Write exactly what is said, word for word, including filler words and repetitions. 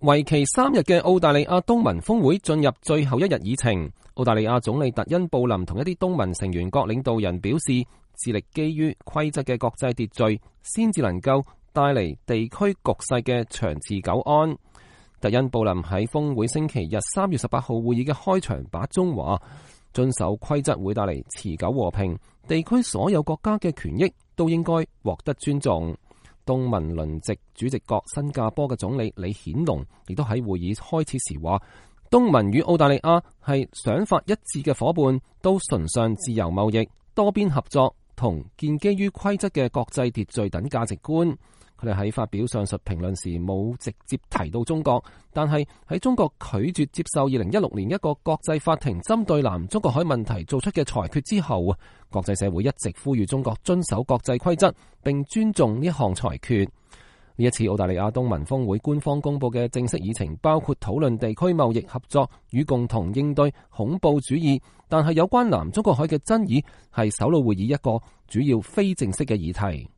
為期三日嘅澳大利亞東盟峰會進入最後一日議程。澳大利亞總理特恩布林同一啲東盟成員國領導人表示，致力基於規則嘅國際秩序，先至能夠帶嚟地區局勢嘅長治久安。特恩布林喺峰會星期日三月十八號會議嘅開場白中話，遵守規則會帶嚟持久和平，地區所有國家嘅權益都應該獲得尊重。東盟輪值主席國新加坡嘅總理李顯龍亦都喺會議開始時話，東盟與澳大利亞係想法一致嘅夥伴，都崇尚自由貿易、多邊合作同建基於規則嘅國際秩序等價值觀。佢哋喺發表上述評論時冇直接提到中國，但係喺中國拒絕接受二零一六年一個國際法庭針對南中國海問題做出嘅裁決之後，國際社會一直呼籲中國遵守國際規則並尊重呢一項裁決。呢一次澳大利亞東盟峰會官方公布嘅正式議程包括討論地區貿易合作與共同應對恐怖主義，但係有關南中國海嘅爭議係首腦會議一個主要非正式嘅議題。